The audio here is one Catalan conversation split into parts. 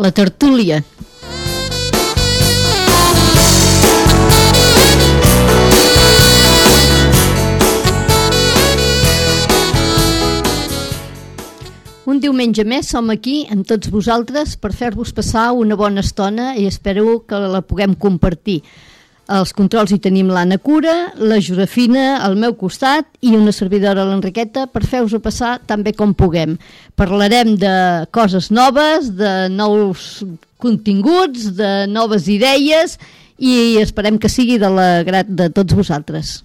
la tertúlia. Un diumenge més som aquí amb tots vosaltres per fer-vos passar una bona estona i espero que la puguem compartir. Els controls hi tenim l'Anna Cura, la Josefina al meu costat i una servidora, l'Enriqueta, per fer-vos-ho passar tan bé com puguem. Parlarem de coses noves, de nous continguts, de noves idees i esperem que sigui de l'agrat de tots vosaltres.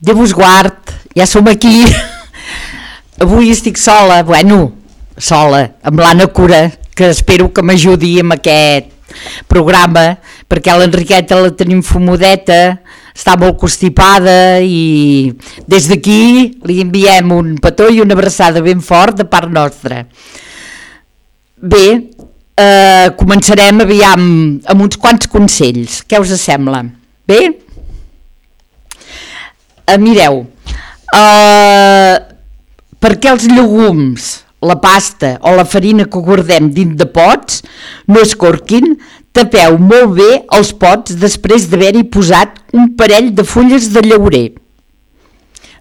Déu vos guard, ja som aquí. Avui estic sola, amb l'Anna Cura, que espero que m'ajudi amb aquest programa, perquè l'Enriqueta la tenim fumudeta, està molt constipada i des d'aquí li enviem un petó i una abraçada ben fort de part nostra. Bé, començarem aviam amb uns quants consells. Què us sembla? Bé? Mireu, perquè els llegums, la pasta o la farina que guardem dins de pots no es corquin, tapeu molt bé els pots després d'haver-hi posat un parell de fulles de llaurer.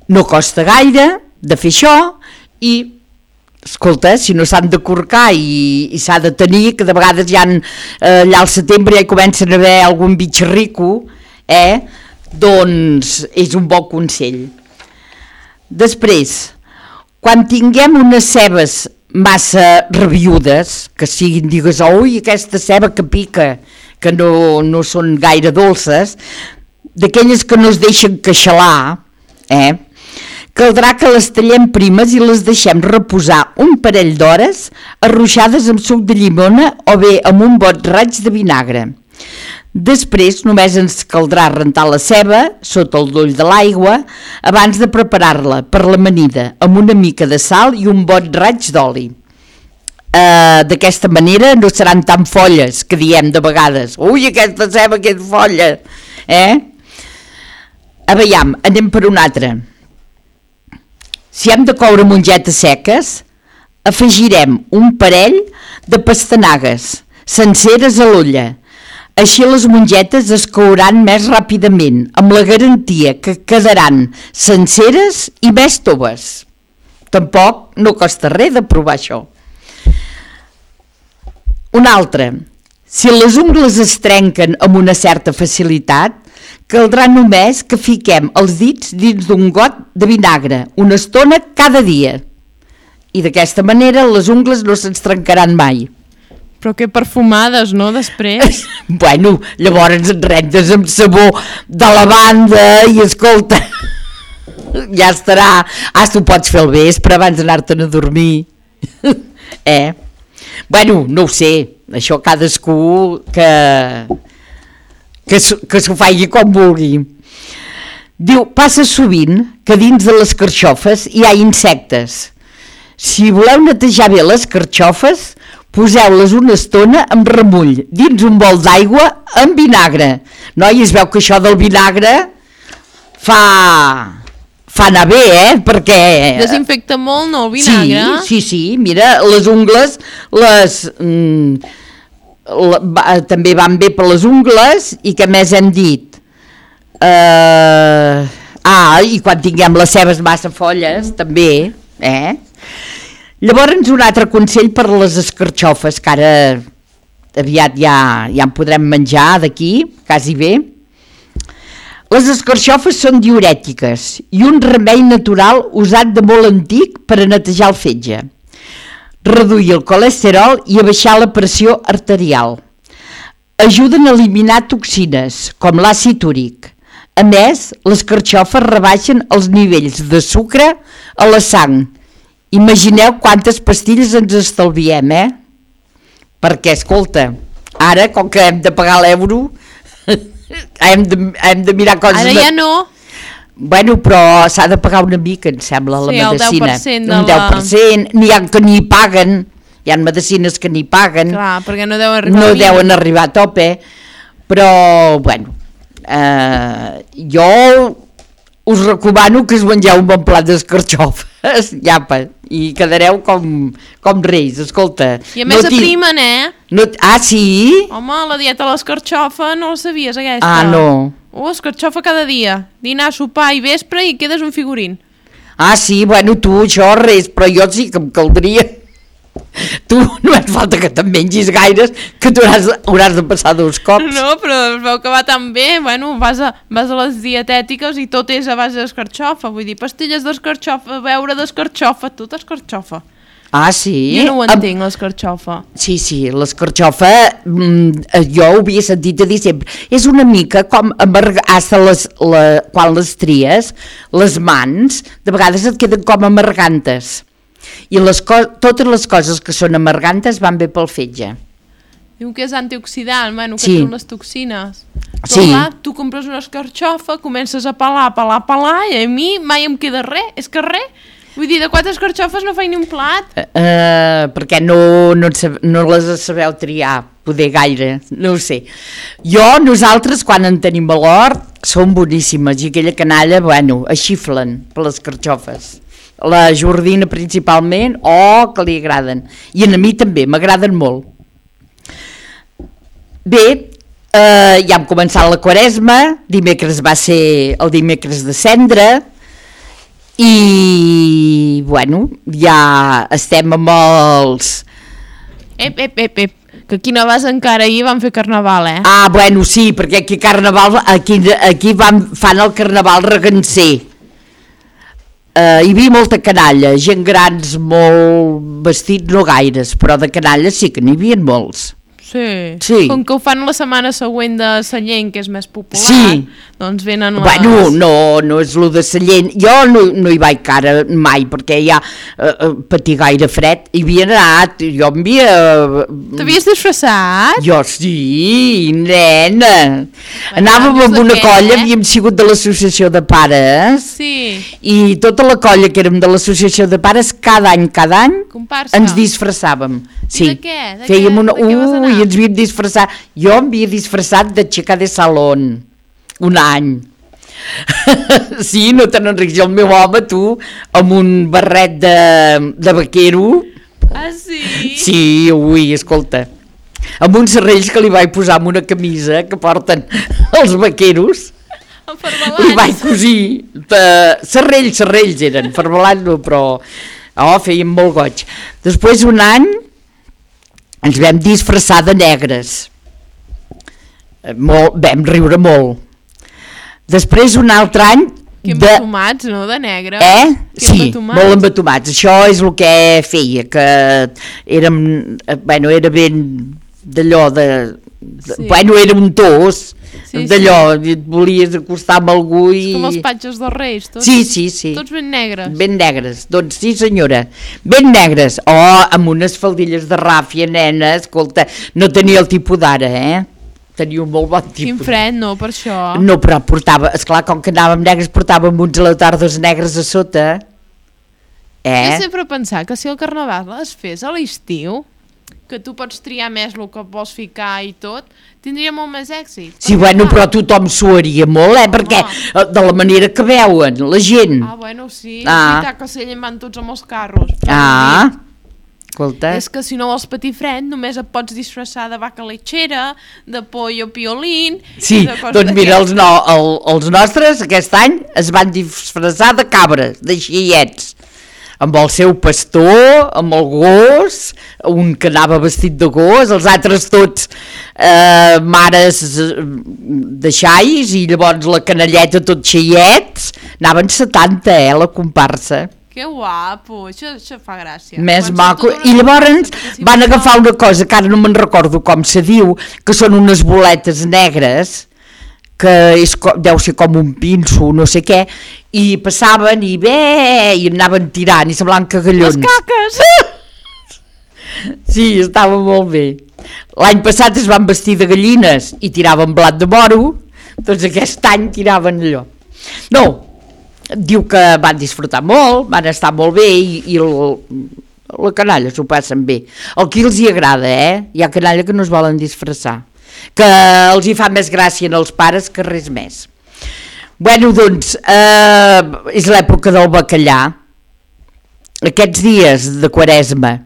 No costa gaire de fer això i, escolta, si no s'han de corcar i s'ha de tenir, que de vegades ja allà al setembre ja hi comencen a haver algun bitxarrico, doncs és un bon consell. Després, quan tinguem unes cebes massa rabiudes, que siguin, digues, ui, aquesta ceba que pica, que no són gaire dolces, d'aquelles que no es deixen queixalar, caldrà que les tallem primes i les deixem reposar un parell d'hores arruixades amb suc de llimona o bé amb un bon raig de vinagre. Després només ens caldrà rentar la ceba sota el doll de l'aigua abans de preparar-la per l'amanida amb una mica de sal i un bon raig d'oli. D'aquesta manera no seran tan folles que diem de vegades, ui, aquesta ceba que és folla, Aviam, anem per una altra. Si hem de coure mongetes seques, afegirem un parell de pastanagues senceres a l'olla. Així les mongetes es couran més ràpidament, amb la garantia que quedaran senceres i més toves. Tampoc no costa res de provar això. Una altra, si les ungles es trenquen amb una certa facilitat, caldrà només que fiquem els dits dins d'un got de vinagre una estona cada dia. I d'aquesta manera les ungles no se'ns trencaran mai. Però que perfumades, no, després? Bueno, llavors et rentes amb sabó de lavanda i escolta, ja estarà. Tu pots fer el vespre abans d'anar-te'n a dormir. Bueno, no ho sé, això cadascú que s'ho faci com vulgui. Diu, passa sovint que dins de les carxofes hi ha insectes. Si voleu netejar bé les carxofes, poseu-les una estona amb remull dins un bol d'aigua amb vinagre. Noi, es veu que això del vinagre fa anar bé, perquè... Desinfecta molt, no, el vinagre? Sí, mira, les ungles també van bé per les ungles i què més hem dit? I quan tinguem les cebes massa folles, també, Llavors, un altre consell per les escarxofes, que ara aviat ja en podrem menjar d'aquí, quasi bé. Les escarxofes són diürètiques i un remei natural usat de molt antic per a netejar el fetge, reduir el colesterol i abaixar la pressió arterial. Ajuden a eliminar toxines, com l'àcid úric. A més, les carxofes rebaixen els nivells de sucre a la sang. Imagineu quantes pastilles ens estalviem, Perquè, escolta, ara, com que hem de pagar l'euro, hem de mirar coses... Ara ja no. Bueno, però s'ha de pagar una mica, em sembla, la medicina. Sí, el 10% de un 10%, n'hi ha que ni paguen, hi ha medicines que ni paguen. Clar, perquè no deuen arribar deuen arribar a tope, però, bueno, jo us recomano que us mengeu un bon plat d'escarxofes, llapa, i quedareu com reis, escolta. I a més aprimen, sí? Home, la dieta de l'escarxofa no la sabies, aquesta? Ah, no. Escarxofa cada dia, dinar, sopar i vespre i quedes un figurín. Ah, sí, bueno, tu això res, però jo sí que em caldria. Tu no et falta que te'n mengis gaires, que tu hauràs de passar 2 cops. No, però es veu que va tan bé, bueno, vas a les dietètiques i tot és a base d'escarxofa, vull dir, pastilles d'escarxofa, beure d'escarxofa, tot escarxofa. Ah, sí? Jo no ho entenc, l'escarxofa. Sí, l'escarxofa, jo ho havia sentit a dir sempre, és una mica com quan les tries, les mans, de vegades et queden com amargantes. I totes les coses que són amargantes van bé pel fetge. Diu que és antioxidant, bueno, que sí. són les toxines. Però sí. Clar, tu compres una escarxofa, comences a pelar, i a mi mai em queda res, és que res. Vull dir, de 4 escarxofes no faig ni un plat. Perquè no les sabeu triar, poder gaire, no ho sé. Nosaltres, quan en tenim a l'hort, són boníssimes, i aquella canalla, bueno, es xiflen per les escarxofes. La Jordina principalment, que li agraden. I a mi també, m'agraden molt. Bé, ja hem començat la Quaresma, dimecres va ser el dimecres de Cendra, i, bueno, ja estem amb els... Que aquí no vas encara, ahir van fer carnaval, Ah, bueno, sí, perquè aquí fan el carnaval regancer. Hi havia molta canalla, gent grans molt vestits, no gaires, però de canalla sí que n'hi havia molts. Sí. Com que ho fan la setmana següent de Sallent, que és més popular, sí. Doncs venen les... Bueno, no és lo de Sallent. Jo no hi vaig cara mai, perquè ja patir gaire fred. Hi havia anat, jo m'havia... T'havies disfressat? Jo sí, nena. Anàvem amb una colla, havíem sigut de l'associació de pares, sí. I tota la colla que érem de l'associació de pares, cada any, comparsa. Ens disfressàvem. Sí. I de què? Fèiem una... I ens havíem disfressat. Jo em havia disfressat de xica de salón un any. Sí, no te n'enrics. El meu home, tu, amb un barret de vaquero. Ah, sí? Sí, ui, escolta. Amb uns serrells que li vaig posar amb una camisa que porten els vaqueros. Li vaig cosir. Serrells eren, ferbalants, però feien molt goig. Després, un any, ens vam disfressar de negres. Vam riure molt. Després, un altre any... Que embatomats, no?, de negre. Sí, molt embatomats. Això és el que feia, que érem... Bueno, era ben d'allò de... Sí. Bueno, era un tos, d'allò, sí. Et volies acostar amb algú i... És com els patges dels Reis, tots? Sí. Tots ben negres. Ben negres, doncs sí senyora, ben negres. Amb unes faldilles de ràfia, nena, escolta, no tenia el tipus d'ara, Tenia un molt bon tipus. Quin fred, no, per això. No, però portava, esclar, com que anàvem negres, portàvem uns leotardos negres a sota. Jo sempre he pensat que si el carnaval es fes a l'estiu, que tu pots triar més el que vols ficar i tot, tindria molt més èxit. Sí, bueno, però tothom suaria molt, perquè de la manera que veuen la gent. Ah, bueno, sí, és veritat que s'ellen van tots amb els carros. Escolta. És que si no vols patir fred, només et pots disfressar de vaca lechera, de pollo piolín... Sí, doncs mira, els nostres aquest any es van disfressar de cabres, de xiets, amb el seu pastor, amb el gos, un que anava vestit de gos, els altres tots mares de xais, i llavors la canalleta tot xiets, anaven 70, la comparsa. Que guapo, això fa gràcia. Més maco. I llavors van agafar una cosa que ara no me'n recordo com se diu, que són unes boletes negres, que deu ser com un pinso, no sé què, i passaven i anaven tirant i semblaven cagallons. Les caques! Sí, estava molt bé. L'any passat es van vestir de gallines i tiraven blat de moro, Doncs aquest any tiraven allò. No, diu que van disfrutar molt, van estar molt bé i la canalla s'ho passen bé. El que els hi agrada, hi ha canalla que no es volen disfressar, que els hi fa més gràcia als pares que res més. Bueno, doncs, és l'època del bacallà, aquests dies de Quaresma.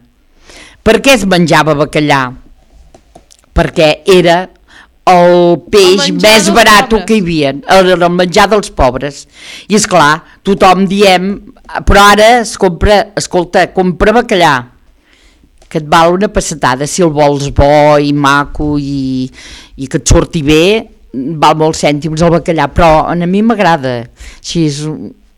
Per què es menjava bacallà? Perquè era el peix més barat que hi havia, el menjar dels pobres. I és clar, tothom diem, però ara es compra, escolta, compra bacallà, que et val una pessetada, si el vols bo i maco i que et surti bé, val molts cèntims el bacallà, però a mi m'agrada, així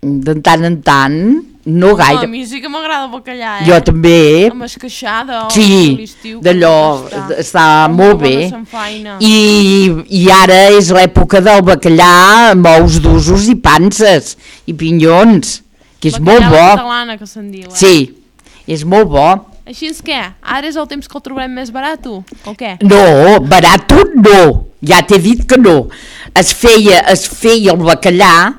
de tant en tant, no gaire. A mi sí que m'agrada el bacallà, Jo també. Amb esqueixada. Sí, d'allò està molt bé. I ara és l'època del bacallà amb ous d'usos i panses i pinyons, que és molt bo. Bacallà catalana, que se'n diu, Sí, és molt bo. Així és què? Ara és el temps que el trobarem més barat, o què? No, barat no, ja t'he dit que no. Es feia el bacallà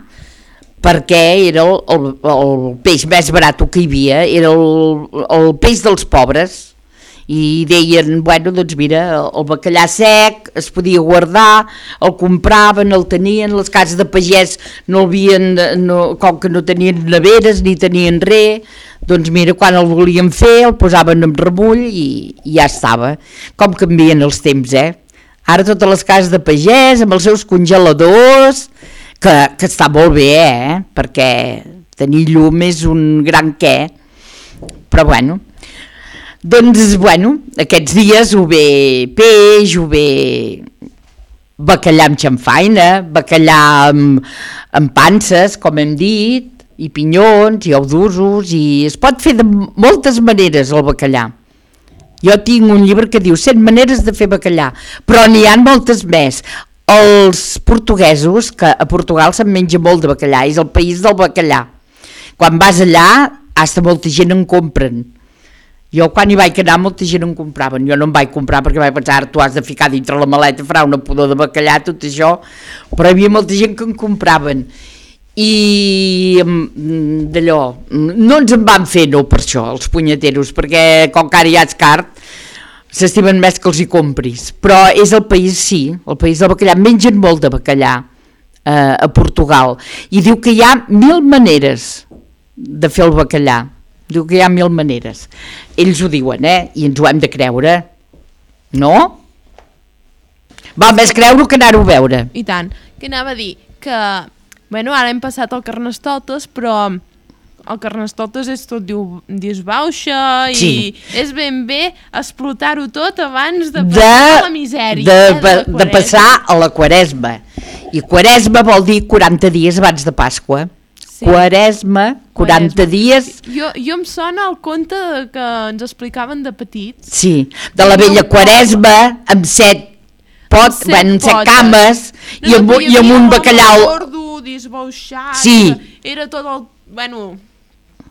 perquè era el peix més barat que hi havia, era el peix dels pobres, i deien, bueno, doncs mira, el bacallà sec es podia guardar, el compraven, el tenien, les cases de pagès no el havien, com que no tenien neveres ni tenien res, doncs mira, quan el volien fer el posaven en remull i ja estava. Com canvien els temps, Ara totes les cases de pagès amb els seus congeladors, que està molt bé, perquè tenir llum és un gran què, però bueno, doncs bueno, aquests dies ho ve peix, ho ve bacallà amb xamfaina, bacallà amb panses, com hem dit, i pinyons, i ous d'usos, i es pot fer de moltes maneres el bacallà. Jo tinc un llibre que diu 100 maneres de fer bacallà, però n'hi ha moltes més. Els portuguesos, que a Portugal se'n menja molt de bacallà, és el país del bacallà. Quan vas allà, hasta molta gent en compren. Jo quan hi vaig anar molta gent en compraven, jo no em vaig comprar perquè vaig pensar, tu has de ficar dintre la maleta, farà una pudor de bacallà, tot això, però hi havia molta gent que en compraven. I d'allò, no ens en van fer no per això, els punyeteros, perquè com que ara ja ets car, s'estimen més que els hi compris, però és el país, sí, el país del bacallà, mengen molt de bacallà a Portugal, i diu que hi ha 1000 maneres de fer el bacallà, diu que hi ha 1000 maneres, ells ho diuen, i ens ho hem de creure, no? Val més creure que anar-ho a veure. I tant, que anava a dir que, bueno, ara hem passat el Carnestoltes, però el Carnestoltes és tot disbauxa i sí. És ben bé explotar-ho tot abans de passar la misèria. De passar a la Quaresma. I Quaresma vol dir 40 dies abans de Pasqua. Sí. Quaresma, 40 dies... Jo em sona el conte que ens explicaven de petits. Sí, de la vella Quaresma, amb 7 cames i amb un bacallà... Gordo, disbauxat, sí. Era tot el... Bueno...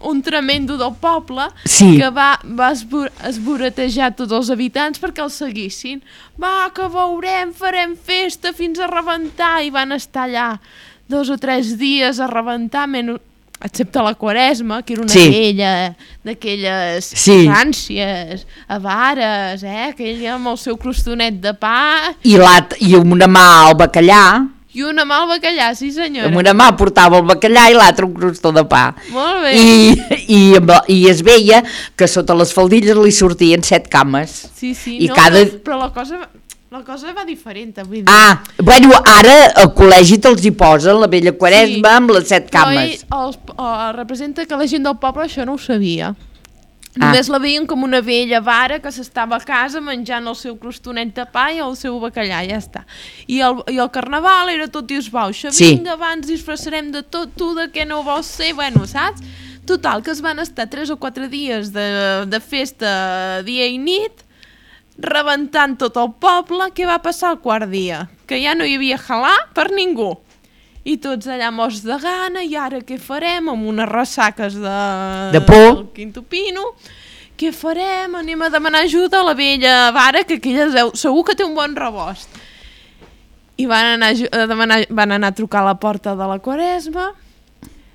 un tremendo del poble, sí. Que va esboretejar tots els habitants perquè el seguissin. Va, que veurem, farem festa fins a rebentar, i van estar allà 2 o 3 dies a rebentar, excepte la Quaresma, que era una vella d'aquelles ràncies, avares, aquella amb el seu crostonet de pa... I amb una mà al bacallà... I una mà al bacallà, sí senyora. Amb una mà portava el bacallà i l'altra un crostó de pa. Molt bé. I es veia que sota les faldilles li sortien 7 cames. Sí, I però la cosa va diferent. Vull dir. Bueno, ara al col·legi te'ls hi posen la vella Quaresma amb les 7 cames. Però representa que la gent del poble això no ho sabia. Només la veien com una vella vara que s'estava a casa menjant el seu crostonet de pa i el seu bacallà, ja està. I el carnaval era tot disbauxa. Vinga, abans disfressarem de tot, tu de què no vols ser, bueno, saps? Total, que es van estar 3 o 4 dies de festa dia i nit, rebentant tot el poble. Què va passar el quart dia? Que ja no hi havia halà per ningú. I tots allà morts de gana, i ara què farem? Amb unes ressaques de por, del Quinto Pino. Què farem? Anem a demanar ajuda a la vella vara, que aquella segur que té un bon rebost. I van anar a trucar a la porta de la Quaresma.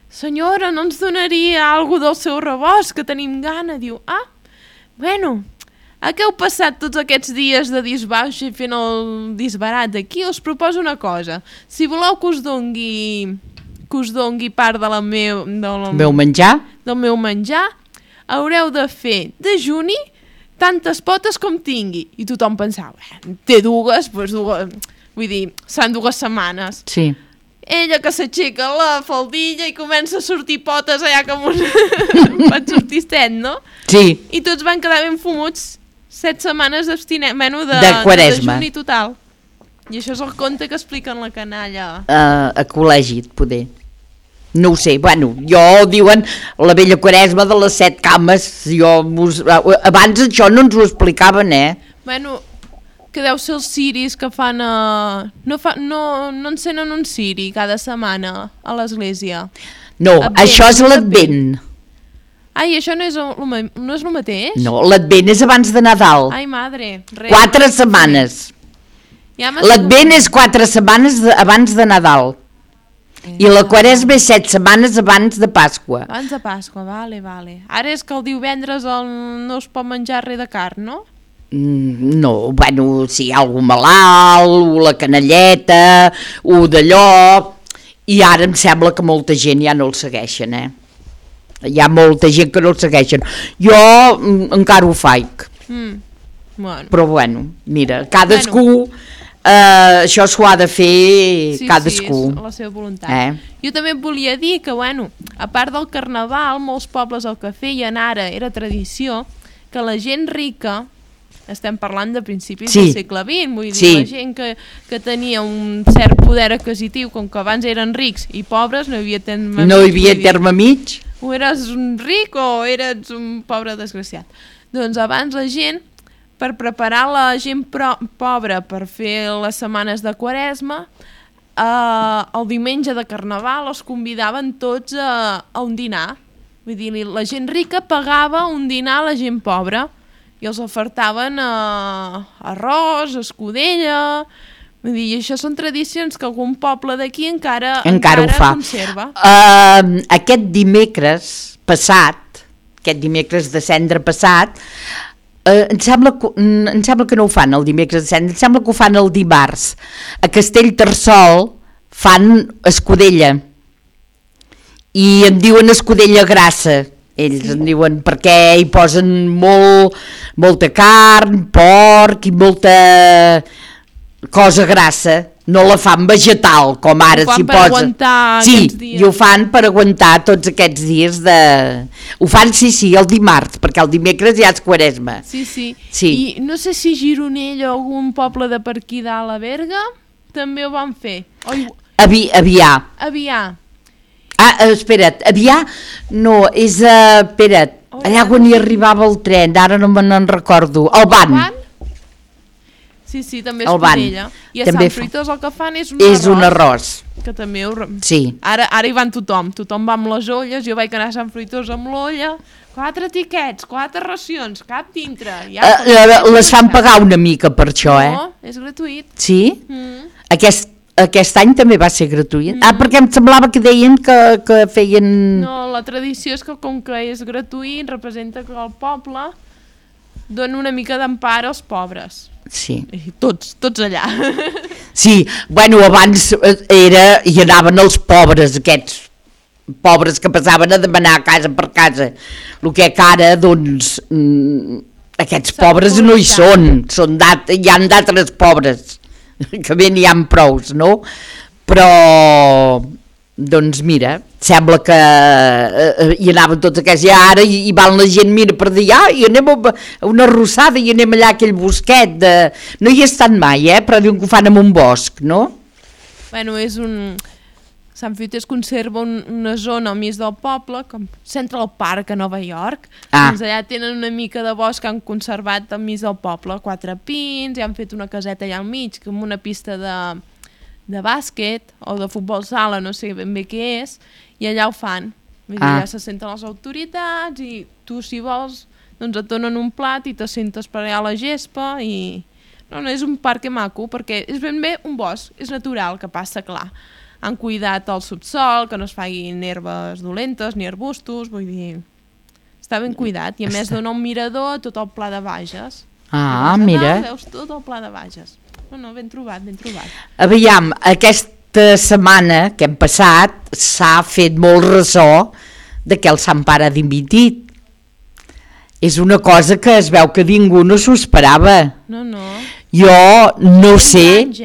Senyora, no ens donaria alguna del seu rebost, que tenim gana? Diu, bueno, a què heu passat tots aquests dies de disbauxa i fent el disbarat aquí? Us proposo una cosa. Si voleu que us dongui part del meu menjar, haureu de fer dejuni tantes potes com tingui. I tothom pensava, té dues, vull dir, seran 2 setmanes. Sí. Ella que s'aixeca la faldilla i comença a sortir potes allà com un pot sortir 7, no? Sí. I tots van quedar ben fumuts 7 setmanes de Quaresma. dejuni total. I això és el conte que expliquen la canalla. A col·legi, poder. No ho sé, bueno, diuen la vella Quaresma de les 7 cames. Abans això no ens ho explicaven, Bueno, que deu ser els ciris que fan... No encenen un ciri cada setmana a l'església. No, això és l'Advent. Ai, això no és el mateix? No, l'Advent és abans de Nadal. Ai, madre. 4 setmanes. L'Advent és 4 setmanes abans de Nadal. I la Quaresma és 7 setmanes abans de Pasqua. Abans de Pasqua, vale. Ara és que el divendres no es pot menjar res de carn, no? No, bueno, si hi ha algú malalt, o la canelleta, o d'allò... I ara em sembla que molta gent ja no el segueixen, Hi ha molta gent que no el segueixen. Jo encara ho faig. Bueno. Però bueno, mira, cadascú... això s'ho ha de fer cadascú. Sí, és la seva voluntat. Jo també et volia dir que, bueno, a part del carnaval, molts pobles el que feien ara era tradició que la gent rica, estem parlant de principis del segle XX, vull dir, la gent que tenia un cert poder adquisitiu, com que abans eren rics i pobres, no hi havia terme mig. O eres un ric o eres un pobre desgraciat. Doncs abans la gent, per preparar la gent pobra per fer les setmanes de Quaresma, el diumenge de Carnaval els convidaven tots a un dinar. Vull dir, la gent rica pagava un dinar a la gent pobra i els ofertaven arròs, escudella... Vull dir, i això són tradicions que algun poble d'aquí encara ho fa. Conserva. Aquest dimecres passat, aquest dimecres de cendre passat, em sembla que no ho fan el dimecres de cendre, em sembla que ho fan el dimarts. A Castellterçol fan escudella i en diuen escudella grassa. Ells en diuen perquè hi posen molta carn, porc i molta cosa grassa. No la fan vegetal, com ara s'hi posa. I ho fan per aguantar tots aquests dies de... Ho fan, el dimarts, perquè el dimecres ja és Quaresma. Sí. I no sé si Gironella o algun poble de per aquí dalt a Berga també ho van fer. Avià. Espera't, Avià no, és... Espera't, allà on hi arribava el tren, ara no me'n recordo. Alban. Sí, també és escudella. I a Sant Fruitós el que fan és un arròs. Que també Sí. Ara hi van tothom va amb les olles, jo vaig anar a Sant Fruitós amb l'olla, 4 tiquets, 4 racions, cap dintre. Les fan pagar una mica per això, No, és gratuït. Sí? Aquest any també va ser gratuït? Perquè em semblava que deien que feien... No, la tradició és que com que és gratuït, representa que el poble dona una mica d'empara als pobres. Sí. I tots allà. Sí, bueno, abans hi anaven els pobres, aquests pobres que passaven a demanar casa per casa. El que ara, doncs, aquests pobres no hi són, hi han d'altres pobres, que bé n'hi ha prous, no? Però, doncs mira, sembla que hi anaven tots aquests, i ara hi van la gent, mira, per dir, i anem a una arrossada i anem allà a aquell bosquet, no hi he estat mai, però diuen que ho fan en un bosc, no? Bueno, Sant Fruitós conserva una zona al mig del poble, com Central Park a Nova York, doncs allà tenen una mica de bosc que han conservat al mig del poble, 4 pins, i han fet una caseta allà al mig, com una pista de bàsquet o de futbol sala, no sé ben bé què és, i allà ho fan. Vull dir, ja se senten les autoritats i tu, si vols, doncs et donen un plat i te sentes per allà a la gespa i No, és un parc maco, perquè és ben bé un bosc, és natural, que passa, clar. Han cuidat el subsol, que no es facin herbes dolentes ni arbustos, vull dir... Està ben cuidat, i a més dona un mirador a tot el Pla de Bages. Mira. Veus tot el Pla de Bages. No, ben trobat, ben trobat. Aviam, aquesta setmana que hem passat s'ha fet molt ressò de que el Sant Pare ha dimitit. És una cosa que es veu que ningú no s'ho esperava. No. Jo no sé... Anys,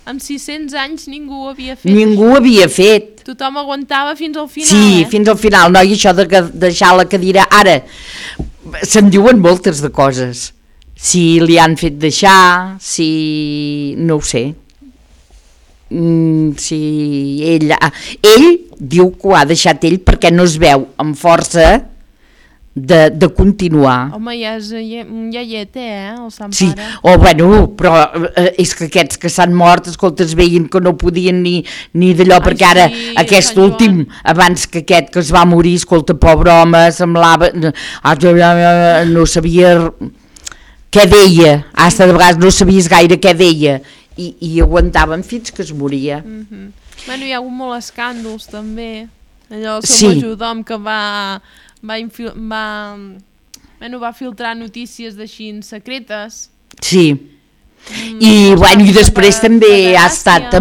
amb 600 anys ningú ho havia fet. Ningú ho havia fet. Tothom aguantava fins al final. Sí, fins al final. No, i això de deixar la cadira... Ara, se'n diuen moltes de coses. Si li han fet deixar, si... no ho sé. Si ell diu que ho ha deixat ell perquè no es veu amb força de continuar. Home, ja és un iaiet, el Sant Pare. Sí, però és que aquests que s'han mort, escolta, es veien que no podien ni d'allò, perquè ara aquest últim, abans que aquest que es va morir, escolta, pobre home, semblava, no sabia què deia, de vegades no sabies gaire què deia, i aguantaven fins que es moria. Bueno, hi ha hagut molts escàndols també, allò el seu majordom que va filtrar notícies d'així secretes. Sí. I després també ha estat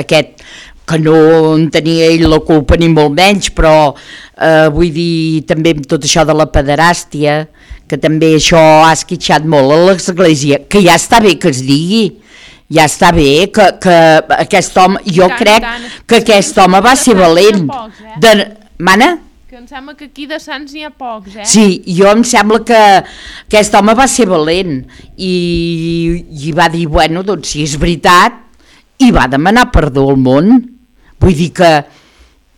aquest, que no en tenia ell la culpa ni molt menys, però vull dir també amb tot això de la pederàstia, que també això ha esquitxat molt a l'església, que ja està bé que es digui, ja està bé que aquest home, jo crec que aquest home va ser valent. Mana? Que em sembla que aquí de sants n'hi ha pocs, Sí, jo em sembla que aquest home va ser valent i va dir, bueno, doncs si és veritat, i va demanar perdó al món. Vull dir que...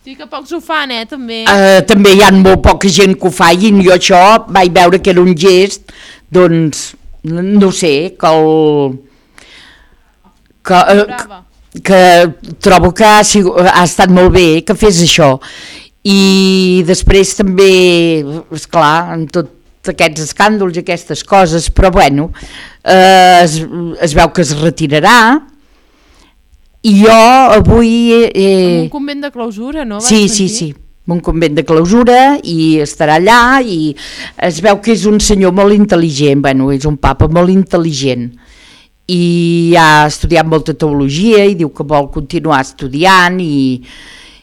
Sí, que pocs ho fan, també. També hi ha molt poca gent que ho fa, i jo això vaig veure que era un gest, doncs, no sé, que trobo que ha estat molt bé que fes això. I després també, esclar, amb tots aquests escàndols i aquestes coses, però bueno, es veu que es retirarà, i jo avui... un convent de clausura, no? Sí, un convent de clausura, i estarà allà, i es veu que és un senyor molt intel·ligent, bueno, és un papa molt intel·ligent, i ha estudiat molta teologia, i diu que vol continuar estudiant, i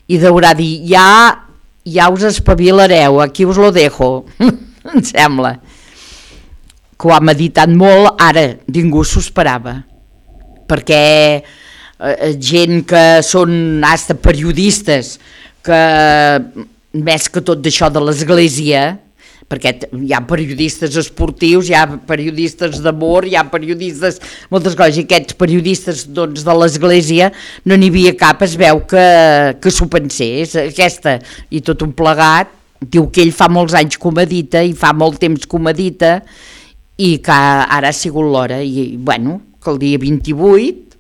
deurà dir, ja us espavilareu, aquí us lo dejo, em sembla que ho ha meditat molt. Ara ningú s'ho esperava, perquè gent que són hasta periodistes, que més que tot d'això de l'església, perquè hi ha periodistes esportius, hi ha periodistes d'amor, hi ha periodistes, moltes coses, i aquests periodistes doncs, de l'església no n'hi havia cap, es veu que s'ho pensés, aquesta, i tot un plegat, diu que ell fa molts anys que ho medita, i fa molt temps que ho medita, i que ara ha sigut l'hora, i bueno, que el dia 28,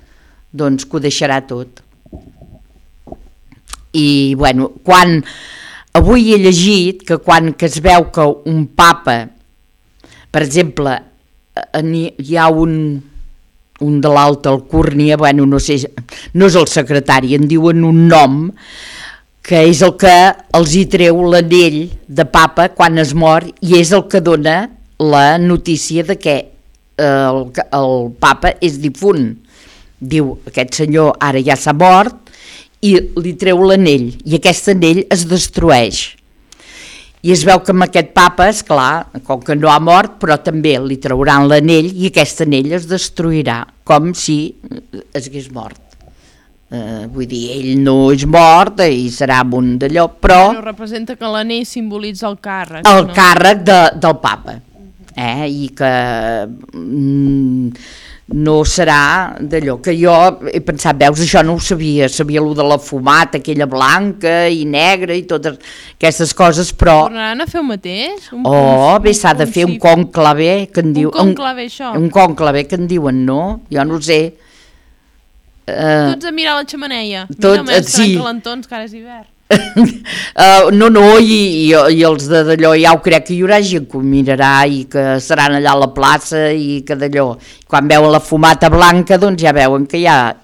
doncs que ho deixarà tot. I bueno, quan... Avui he llegit que quan que es veu que un papa, per exemple, hi ha un de l'alta alcúrnia, bueno, no sé, no és el secretari, en diuen un nom, que és el que els hi treu l'anell de papa quan es mor, i és el que dona la notícia de que el papa és difunt. Diu, aquest senyor ara ja s'ha mort, i li treu l'anell, i aquest anell es destrueix. I es veu que amb aquest papa, esclar, com que no ha mort, però també li trauran l'anell, i aquest anell es destruirà, com si es hagués mort. Vull dir, ell no és mort, i serà un d'allò, però... Però representa que l'anell simbolitza el càrrec. El càrrec del papa. I que... no serà d'allò que jo he pensat, veus, això no ho sabia el de la fumata, aquella blanca i negra i totes aquestes coses, però... Tornaran a fer el mateix? Bé, s'ha de fer un conclave, que en diu... Un conclave, això? Un conclave, que en diuen, no? Jo no ho sé. Tots a mirar la xemeneia. Mira, més calentons, que ara és hivern. No, i els d'allò ja ho crec que hi haurà gent que ho mirarà i que seran allà a la plaça i que d'allò, quan veuen la fumata blanca doncs ja veuen que hi ha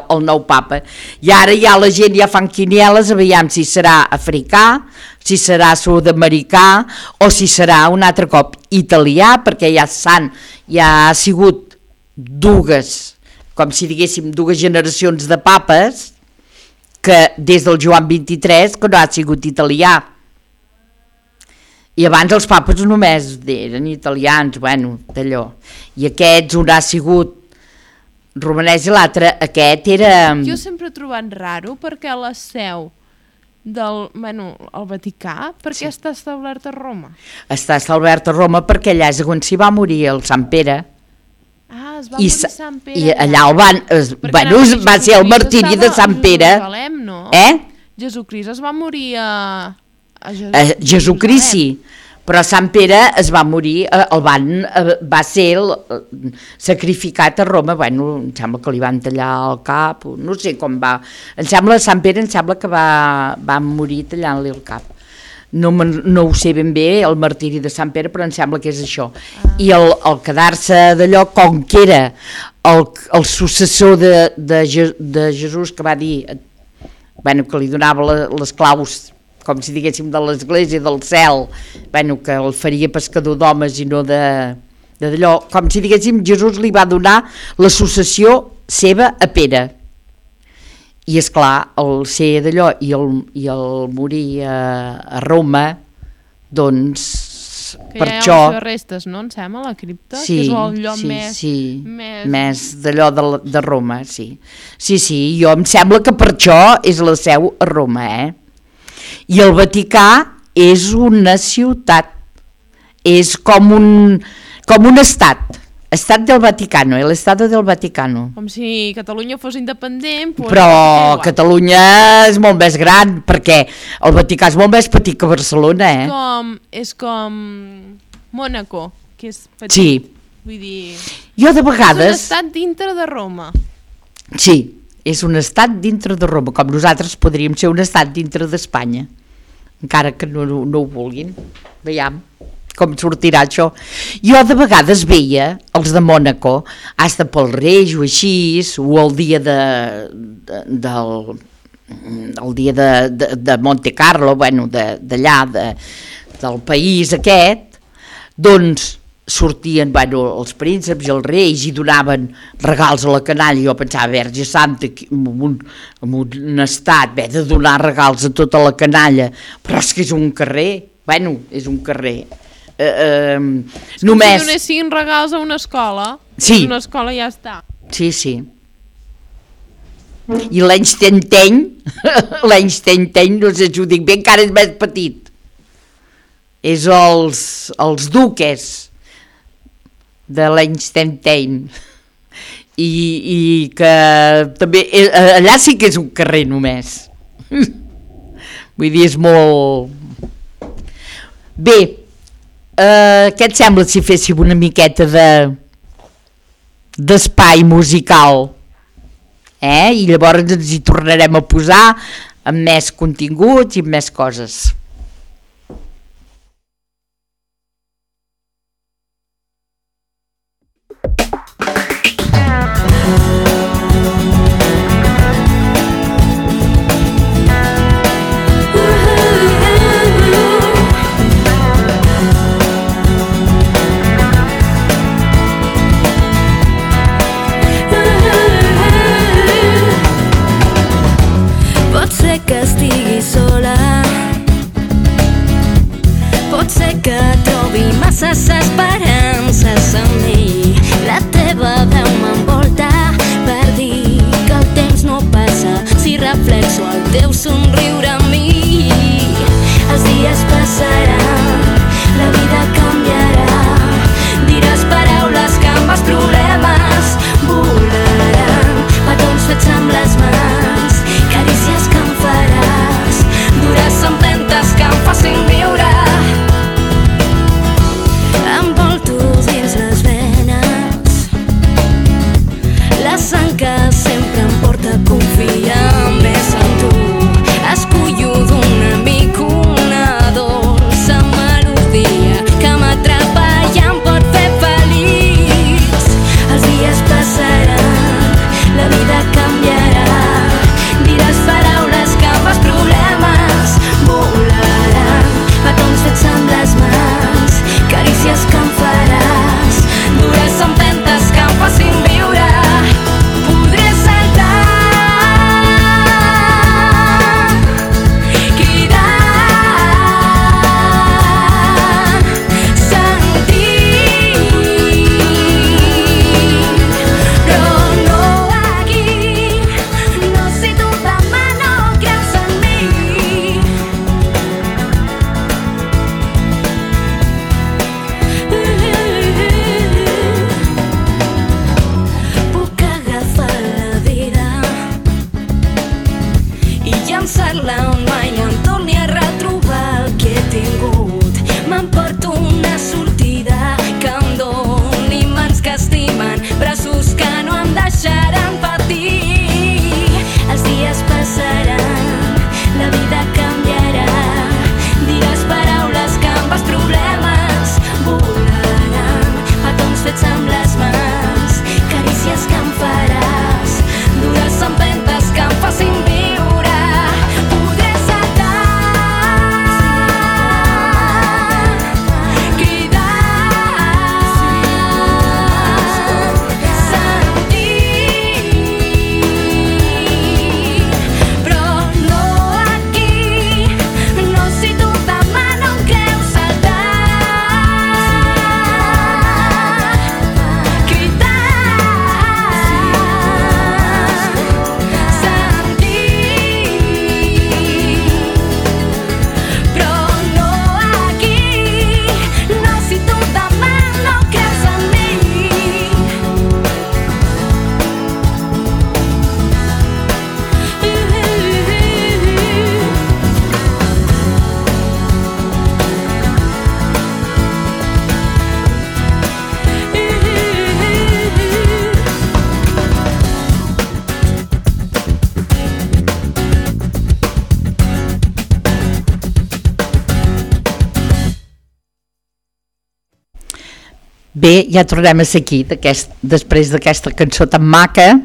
el nou papa, i ara ja la gent ja fan quinieles, aviam si serà africà, si serà sud-americà o si serà un altre cop italià, perquè ja ha sigut com si diguéssim dues generacions de papes, que des del Joan XXIII que no ha sigut italià, i abans els papes només eren italians, bueno, d'allò, i aquests un ha sigut romanès i l'altre, aquest era... Jo sempre he trobat raro perquè la seu del, el Vaticà, perquè està establert a Roma? Està establert a Roma perquè allà és on s'hi va morir el Sant Pere. Ah, es va morir Sant Pere. I allà va ser el martiri de Sant Pere. No? Jesucrist es va morir a Jesucrist sí, però Sant Pere es va morir, va ser sacrificat a Roma, em sembla que li van tallar el cap, no sé com va, Sant Pere que va morir tallant-li el cap. No ho sé ben bé, el martiri de Sant Pere, però em sembla que és això. I el quedar-se d'allò, com que era el successor de Jesús, que va dir, que li donava les claus, com si diguéssim, de l'església del cel, que el faria pescador d'homes i no d'allò, com si diguéssim, Jesús li va donar la successió seva a Pere. I esclar, el ser d'allò i el morir a Roma, doncs que per ja això... hi ha les restes, no? Em sembla, la cripta, que és el lloc més d'allò de Roma, sí. Sí, jo em sembla que per això és la seu a Roma, I el Vaticà és una ciutat, és com un estat del Vaticano, l'Estado del Vaticano. Com si Catalunya fos independent. Però Catalunya és molt més gran, perquè el Vaticà és molt més petit que Barcelona, És com Mònaco, que és petit. Sí. Vull dir... Jo de vegades... És un estat dintre de Roma. Sí, és un estat dintre de Roma, com nosaltres podríem ser un estat dintre d'Espanya, encara que no ho vulguin. Veiem com sortirà això. Jo de vegades veia els de Mònaco, hasta pel Reis o així, o el dia de Monte Carlo, d'allà, del país aquest, doncs sortien els prínceps i els reis i donaven regals a la canalla. Jo pensava, Verge Santa, en un estat, de donar regals a tota la canalla, però és que és un carrer, és un carrer. Només... Si donessin regals a una escola, sí. Una escola ja està. Sí. I l'Einstein, no sé si ho dic bé, encara és més petit. És els duques de l'Einstein. I que també... Allà sí que és un carrer només. Vull dir, és molt... Bé, què et sembla si féssim una miqueta d'espai musical? I llavors ens hi tornarem a posar amb més continguts i amb més coses. Que estigui sola, pot ser que trobi masses esperances en mi. La teva veu m'envolta per dir que el temps no passa si reflexo el teu somriure en mi. Els dies passaran, la vida canviarà, diràs paraules que amb els problemes volaran, petons fets amb les mans, carícies que em faràs, dures empentes que em facin viure. Envolto dins les venes la sang que sempre em porta a confiar més en tu. Escollo d'un llançar-la on mai no em torni a retrobar el que he tingut. M'emporto una sortida que em doni mans que estimen, braços que no em deixaran patir. Els dies passaran, la vida canviarà, diràs paraules que amb els problemes volaran, petons fets amb les mans, carícies que em faràs, dures empentes que em facin viure. Podré saltar, cridar, sentir, però no aquí, no si tu demà no em creus saltar, cridar, però no aquí, no si tu demà no creus en mi. Bé, ja tornem a ser aquí, després d'aquesta cançó tan maca.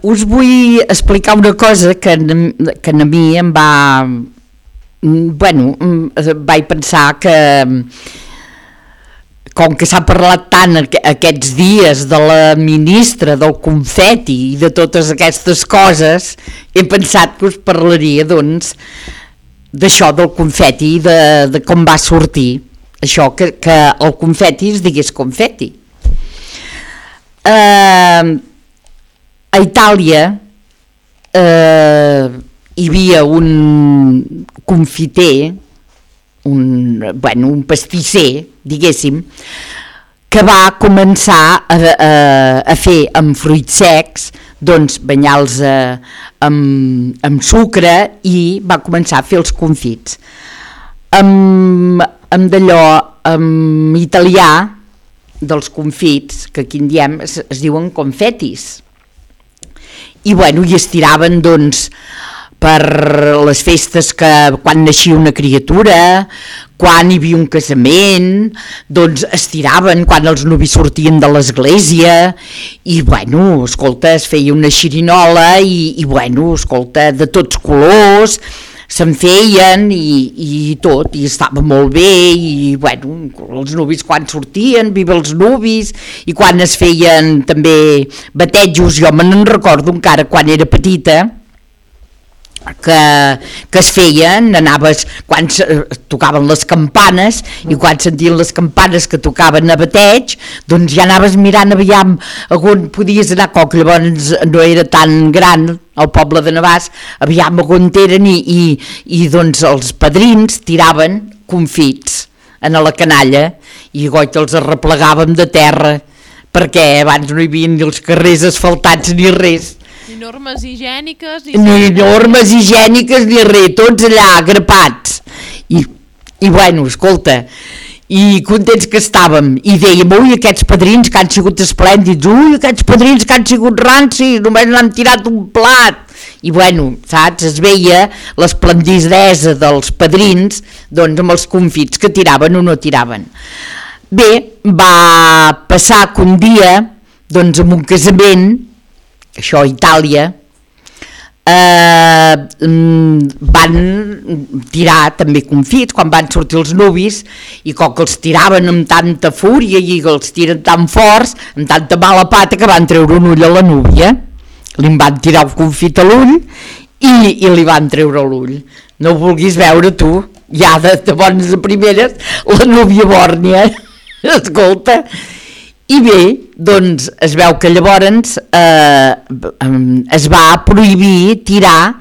Us vull explicar una cosa que a mi em va... Bueno, vaig pensar que, com que s'ha parlat tant aquests dies de la ministra, del confeti i de totes aquestes coses, he pensat que us parlaria, doncs, d'això del confeti i de com va sortir. Això, que el confeti es digués confeti. A Itàlia hi havia un confiter, un pastisser, diguéssim, que va començar a fer amb fruits secs, doncs banyar-los amb sucre, i va començar a fer els confits. Amb d'allò, en italià, dels confits, que aquí en diem, es diuen confetis. I bueno, i es tiraven, doncs, per les festes que quan naixia una criatura, quan hi havia un casament, doncs es tiraven quan els nuvis sortien de l'església, i bueno, escolta, es feia una xirinola, i bueno, escolta, de tots colors, se'n feien i tot, i estava molt bé, i bueno, els nuvis quan sortien, viva els nuvis, i quan es feien també batejos, jo me n'en recordo encara quan era petita, que es feien, anaves quan tocaven les campanes, i quan sentien les campanes que tocaven a bateig, doncs ja anaves mirant aviam on podies anar, que llavors no era tan gran el poble de Navàs, aviam on eren, i doncs els padrins tiraven confits a la canalla, i goig els arreplegàvem de terra, perquè abans no hi havia ni els carrers asfaltats ni res. Ni normes higièniques, ni normes higièniques ni res, tots allà grapats, i bueno, escolta, i contents que estàvem, i dèiem, ui, aquests padrins que han sigut esplèndids, ui, aquests padrins que han sigut rancis, només n'han tirat un plat, i bueno, saps, es veia l'esplendidesa dels padrins, doncs amb els confits que tiraven o no tiraven. Bé, va passar que un dia, doncs en un casament, això a Itàlia, van tirar també confits quan van sortir els nuvis, i com que els tiraven amb tanta fúria i els tiren tan forts, amb tanta mala pata, que van treure un ull a la núvia, li van tirar un confit a l'ull i li van treure l'ull. No ho vulguis veure tu, ja de bones a primeres, la núvia bòrnia, escolta. I bé, doncs es veu que llavors es va prohibir tirar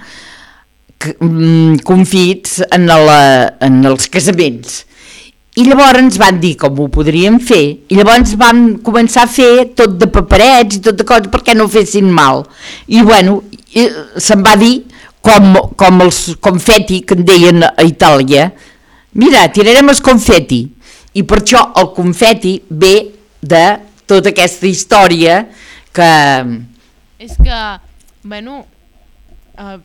confits en els casaments, I llavors ens van dir com ho podríem fer, i llavors van començar a fer tot de paperets i tot de coses perquè no fessin mal. I bueno, se'n va dir com els confeti que en deien a Itàlia, mira, tirarem els confeti, i per això el confeti ve de tota aquesta història que... És que, bueno,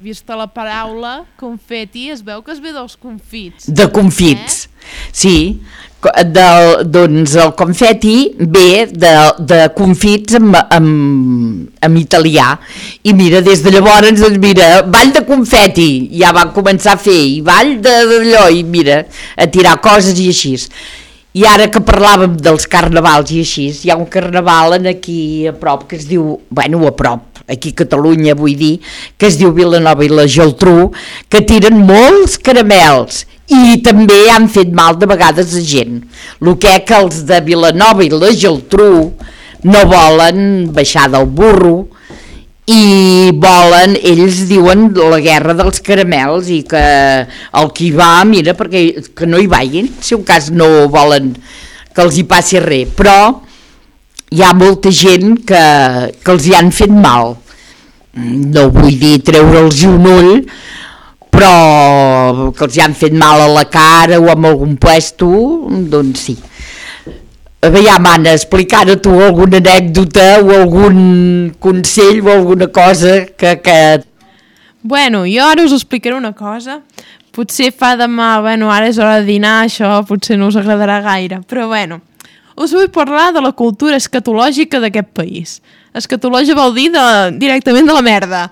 vista la paraula confeti, es veu que es ve dels confits. De confits, sí. Doncs el confeti ve de confits en italià. I mira, des de llavors, doncs mira, ball de confeti, ja van començar a fer, i ball d'allò, i mira, a tirar coses i així. I ara que parlàvem dels carnavals i així, hi ha un carnaval aquí a prop que es diu, bueno, a prop, aquí a Catalunya vull dir, que es diu Vilanova i la Geltrú, que tiren molts caramels i també han fet mal de vegades a gent. El que els de Vilanova i la Geltrú no volen baixar del burro i volen, ells diuen la guerra dels caramels, i que el qui va, mira, perquè que no hi vagin, si un cas no volen que els hi passi res, però hi ha molta gent que els hi han fet mal. No vull dir treure'ls un ull, però que els hi han fet mal a la cara o en algun puesto, doncs sí. Aviam, Anna, explicar-a tu alguna anècdota o algun consell o alguna cosa que... Bueno, jo ara us explicaré una cosa. Potser fa demà, bueno, ara és hora de dinar, això potser no us agradarà gaire, però bueno, us vull parlar de la cultura escatològica d'aquest país. Escatològia vol dir directament de la merda,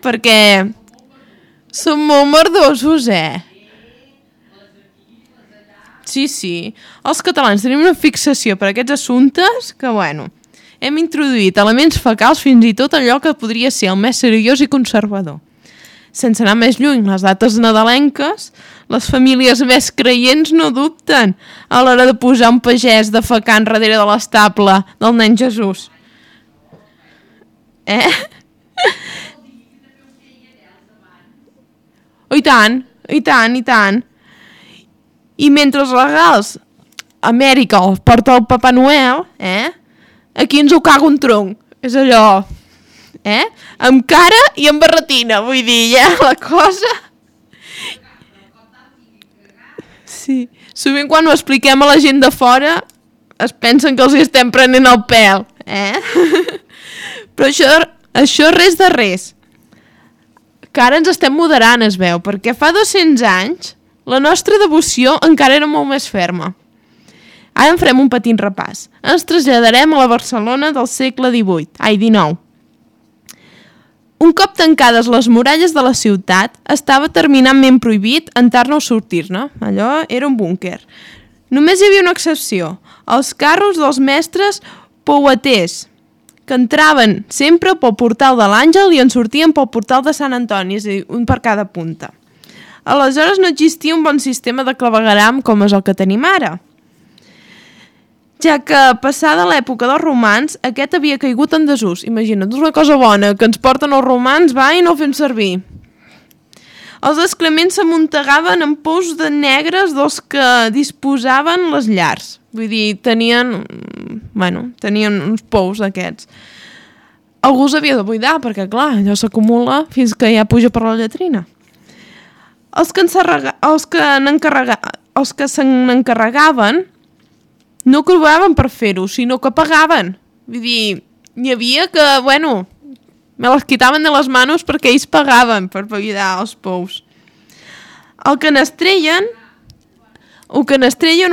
perquè som molt merdosos, Sí, els catalans tenim una fixació per aquests assumptes que, bueno, hem introduït elements fecals fins i tot allò que podria ser el més seriós i conservador. Sense anar més lluny, les dates nadalenques, les famílies més creients no dubten a l'hora de posar un pagès defecant darrere de l'estable del nen Jesús. I tant, i tant, i tant. I mentre els regals a Amèrica els porta el Papa Noel, aquí ens ho caga un tronc. És allò, amb cara i amb barretina, vull dir, la cosa... Sí, sovint quan ho expliquem a la gent de fora es pensen que els hi estem prenent el pèl, Però això res de res. Que ara ens estem moderant, es veu, perquè fa 200 anys la nostra devoció encara era molt més ferma. Ara en farem un petit repàs. Ens traslladarem a la Barcelona del segle XIX. Un cop tancades les muralles de la ciutat, estava terminantment prohibit entrar-ne o sortir-ne. Allò era un búnquer. Només hi havia una excepció, els carros dels mestres poueters, que entraven sempre pel portal de l'Àngel i en sortien pel portal de Sant Antoni, és a dir, un per cada punta. Aleshores no existia un bon sistema de clavegueram com és el que tenim ara, ja que passada l'època dels romans aquest havia caigut en desús. Imagina't, una cosa bona que ens porten els romans, va, i no el fem servir. Els excrements s'amuntegaven en pous de negres dels que disposaven les llars. Vull dir, tenien uns pous d'aquests. Algú s'havia de buidar, perquè clar, allò s'acumula fins que ja puja per la lletrina. Els que se n'encarregaven no cobraven per fer-ho, sinó que pagaven. Vull dir, hi havia que, bueno, me les quitaven de les manos perquè ells pagaven per buidar els pous. El que n'estreien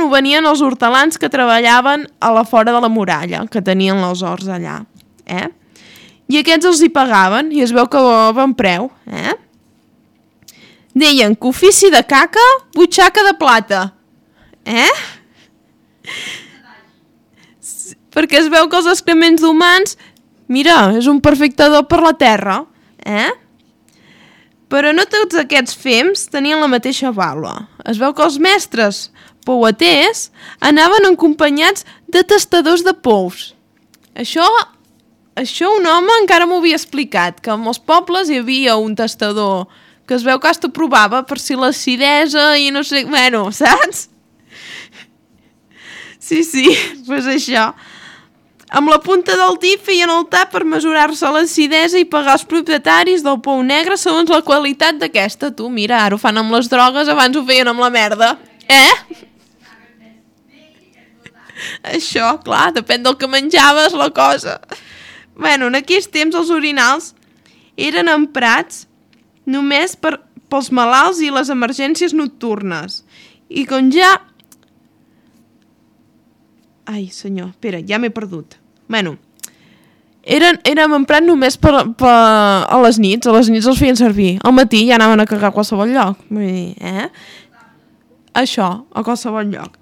ho venien els hortelans que treballaven a la fora de la muralla, que tenien els horts allà. I aquests els hi pagaven, i es veu que bon preu, Deien que ofici de caca, butxaca de plata. Perquè es veu que els excrements d'humans, mira, és un perfecte do per la terra. Però no tots aquests fems tenien la mateixa vàlua. Es veu que els mestres poueters anaven acompanyats de tastadors de pous. Això un home encara m'ho havia explicat, que en els pobles hi havia un tastador que es veu que hasta provava per si l'acidesa i no sé, bueno, saps? Sí, doncs això. Amb la punta del dit feien el tap per mesurar-se l'acidesa i pagar els propietaris del pou negre segons la qualitat d'aquesta. Tu, mira, ara ho fan amb les drogues, abans ho feien amb la merda. Això, clar, depèn del que menjaves, la cosa. Bueno, en aquells temps els orinals eren emprats només pels malalts i les emergències nocturnes. I com ja... Ai, senyor, espera, ja m'he perdut. Bueno, érem emprat només a les nits els feien servir. Al matí ja anaven a cagar a qualsevol lloc. Vull dir, Això, a qualsevol lloc.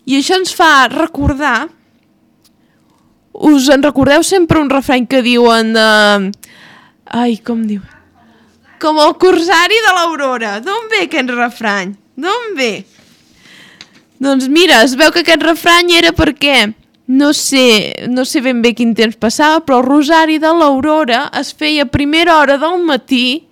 I això ens fa recordar... Us en recordeu sempre un refrany que diuen de... Ai, com diu? Com el corsari de l'Aurora. D'on ve aquest refrany? D'on ve? Doncs mira, es veu que aquest refrany era perquè, no sé ben bé quin temps passava, però el rosari de l'Aurora es feia a primera hora del matí,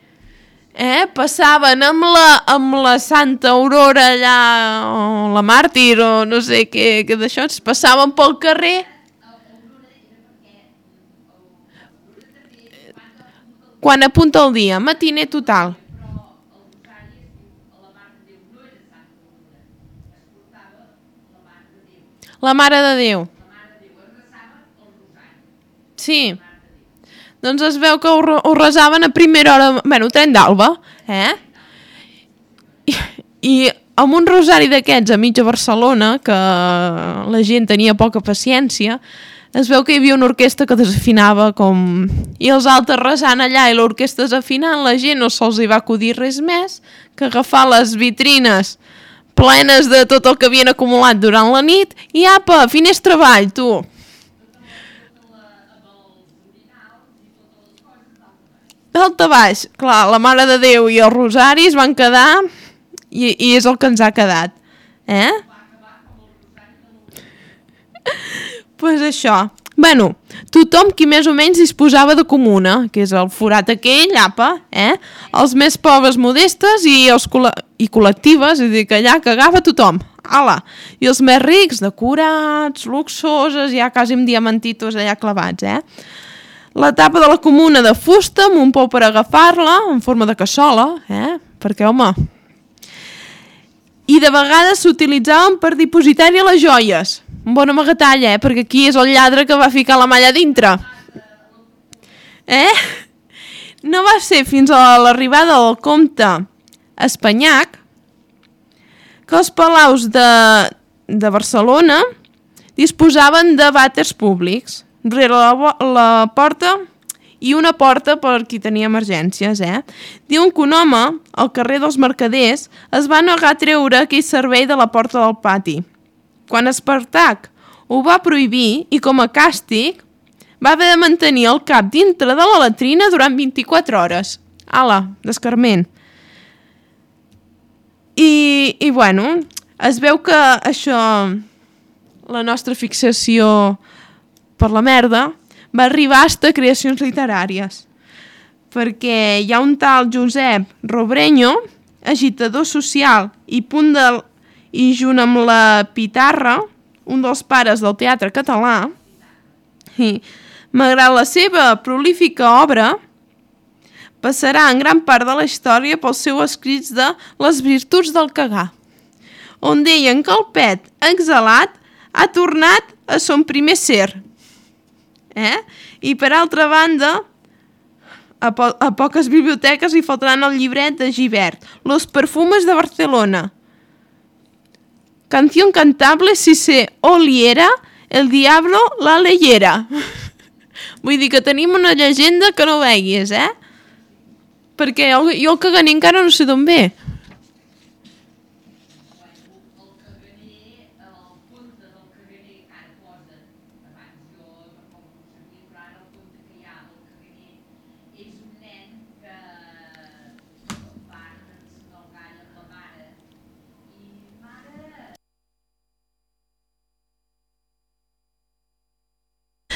passaven amb la Santa Aurora allà, o la màrtir, o no sé què d'això, es passaven pel carrer. Quan apunta el dia, matiner total. La Mare de Déu. Sí. Doncs es veu que ho resaven a primera hora... Bueno, tren d'alba, I amb un rosari d'aquests a mitja Barcelona, que la gent tenia poca paciència, es veu que hi havia una orquestra que desafinava com... I els altres resant allà i l'orquestra desafinant, la gent no se'ls hi va acudir res més que agafar les vitrines plenes de tot el que havien acumulat durant la nit i apa, finestra avall, tu. Alta baix, clar, la Mare de Déu i els rosaris van quedar i és el que ens ha quedat. Pues això. Bueno, tothom qui més o menys disposava de comuna, que és el forat aquell, apa, els més pobres modestes i col·lectives, és a dir, que allà cagava tothom, ala. I els més rics, decorats, luxoses, ja quasi amb diamantitos allà clavats, La tapa de la comuna de fusta, amb un pou per agafar-la, en forma de cassola, perquè, home... I de vegades s'utilitzaven per dipositar-hi les joies. Un bon amagatall, perquè aquí és el lladre que va ficar la malla dintre. No va ser fins a l'arribada del comte Espanyac que els palaus de Barcelona disposaven de vàters públics rere la porta i una porta per qui tenia emergències, Diuen que un home, al carrer dels Mercaders, es va negar a treure aquell servei de la porta del pati. Quan Espartac ho va prohibir i com a càstig va haver de mantenir el cap dintre de la latrina durant 24 hores. Ala, d'escarment. I bueno, es veu que això, la nostra fixació per la merda, va arribar fins a creacions literàries. Perquè hi ha un tal Josep Robreño, agitador social i junt amb la Pitarra, un dels pares del teatre català, i, malgrat la seva prolífica obra, passarà en gran part de la història pels seus escrits de Les virtuts del cagar, on deien que el pet exhalat ha tornat a son primer ser. I per altra banda, a poques biblioteques hi faltaran el llibret de Gibert, Los perfumes de Barcelona. Canción cantable si se oliera, el diablo la leyera. Vull dir que tenim una llegenda que no veguis, Perquè jo el caganer encara no sé d'on ve.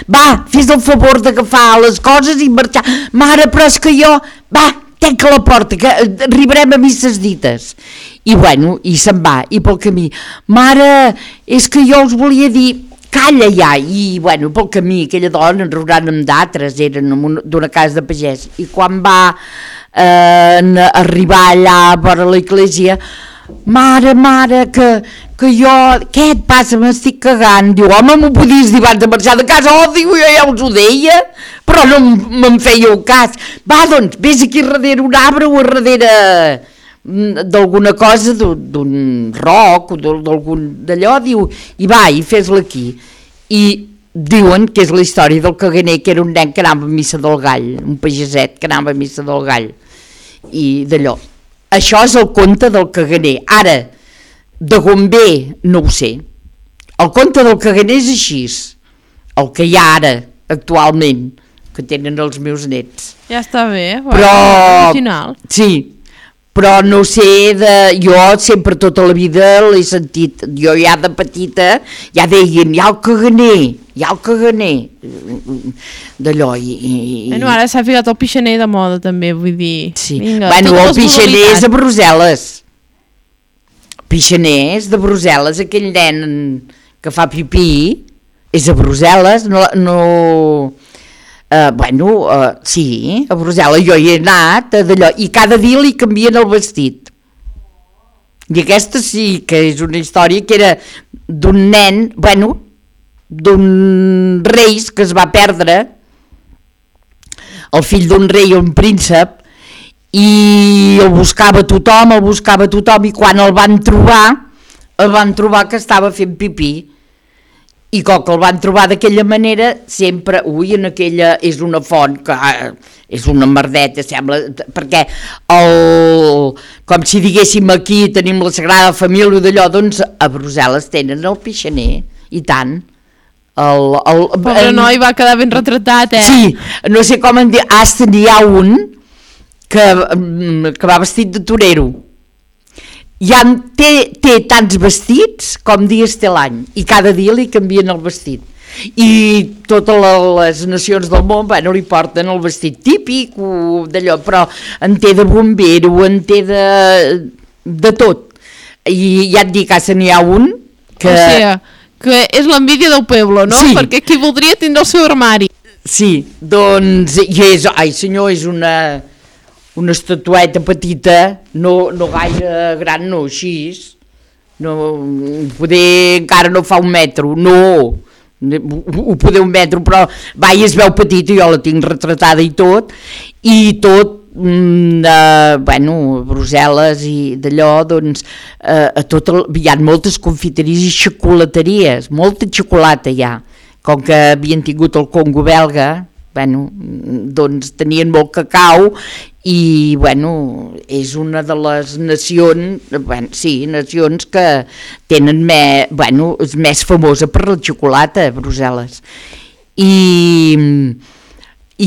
Va, fes el favor d'agafar les coses i marxar. Mare, però és que jo... Va, tanca la porta, que arribarem a misses dites. I bueno, i se'n va, i pel camí, mare, és que jo us volia dir, calla ja, i bueno, pel camí, aquella dona enraonant amb d'altres, eren d'una casa de pagès, i quan va arribar allà a vora l'església, mare, que jo, què et passa, m'estic cagant, diu, home, m'ho podies dir abans de marxar de casa, diu, jo ja us ho deia, però no me'n fèieu cas, va, doncs, vés aquí darrere un arbre o darrere d'alguna cosa, d'un roc o d'algun d'allò, diu, i va, i fes-la aquí. I diuen que és la història del caganer, que era un nen que anava a missa del gall, un pageset que anava a missa del gall, i d'allò. Això és el conte del caganer. Ara, de on ve, no ho sé. El conte del caganer és així, el que hi ha ara, actualment, que tenen els meus nets. Ja està bé, però original. Sí, però no sé, jo sempre tota la vida l'he sentit, jo ja de petita ja deien, hi ha el caganer, d'allò. Bueno, ara s'ha ficat el pixaner de moda també, vull dir. Sí. Vinga, bueno, el pixaner és de Brussel·les. Pixaner és de Brussel·les, aquell nen que fa pipí és a Brussel·les, sí, a Brussel·les jo hi he anat d'allò, i cada dia li canvien el vestit, i aquesta sí que és una història que era d'un nen, d'un rei que es va perdre, el fill d'un rei o un príncep, i el buscava tothom, i quan el van trobar que estava fent pipí. I com que el van trobar d'aquella manera, sempre, en aquella és una font, que és una merdeta, sembla, perquè com si diguéssim aquí tenim la Sagrada Família d'allò, doncs a Brussel·les tenen el pixaner, i tant. Pobre noi va quedar ben retratat, Sí, no sé com en dir, n'hi ha un que va vestit de torero. Ja té tants vestits com dies té l'any, i cada dia li canvien el vestit, i totes les nacions del món li porten el vestit típic d'allò, però en té de bombero, en té de tot, i ja et dic, n'hi ha un que... O sigui, que és l'envídia del poble, no? Sí. Perquè qui voldria tindre el seu armari. Sí, doncs, és una estatueta petita, no gaire gran, no, així, poder encara no fa un metro, ho poder un metro, però i es veu petita, jo la tinc retratada i tot, Brussel·les i d'allò, doncs, hi ha moltes confiteries i xocolateries, molta xocolata hi ha, com que havien tingut el Congo belga, doncs tenien molt cacau i és una de les nacions, nacions que tenen és més famosa per la xocolata a Brussel·les, i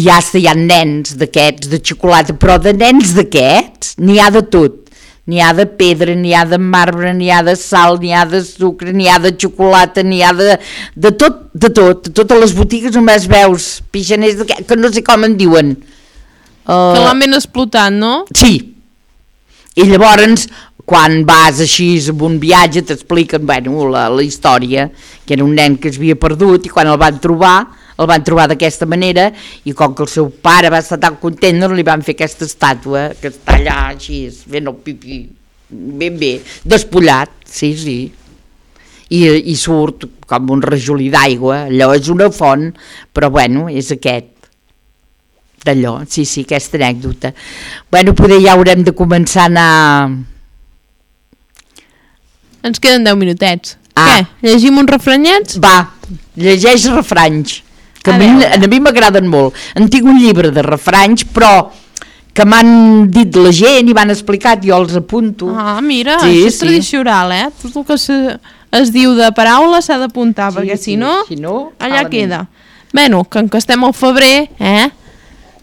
ja hi ha nens d'aquests de xocolata, però de nens d'aquests n'hi ha de tot. N'hi ha de pedra, n'hi ha de marbre, n'hi ha de sal, n'hi ha de sucre, n'hi ha de xocolata, n'hi ha de tot, totes les botigues només veus pixaners que no sé com en diuen. Que l'han ben explotat, no? Sí, i llavors quan vas així en un viatge t'expliquen la història, que era un nen que es havia perdut i quan el van trobar d'aquesta manera, i com que el seu pare va estar tan content, li van fer aquesta estàtua que està allà així fent el pipí ben bé, despullat, sí, i surt com un rajolí d'aigua, allò és una font, però és aquest d'allò, sí, aquesta anècdota. Poder ja haurem de començar a anar... Ens queden 10 minutets. Què? Llegim uns refranyets? Va, llegeix refranys, que a mi m'agraden molt. En tinc un llibre de refranys, però que m'han dit la gent i m'han explicat, jo els apunto. Mira, això és tradicional, Tot el que es diu de paraula s'ha d'apuntar, perquè si no, allà queda. Que estem al febrer,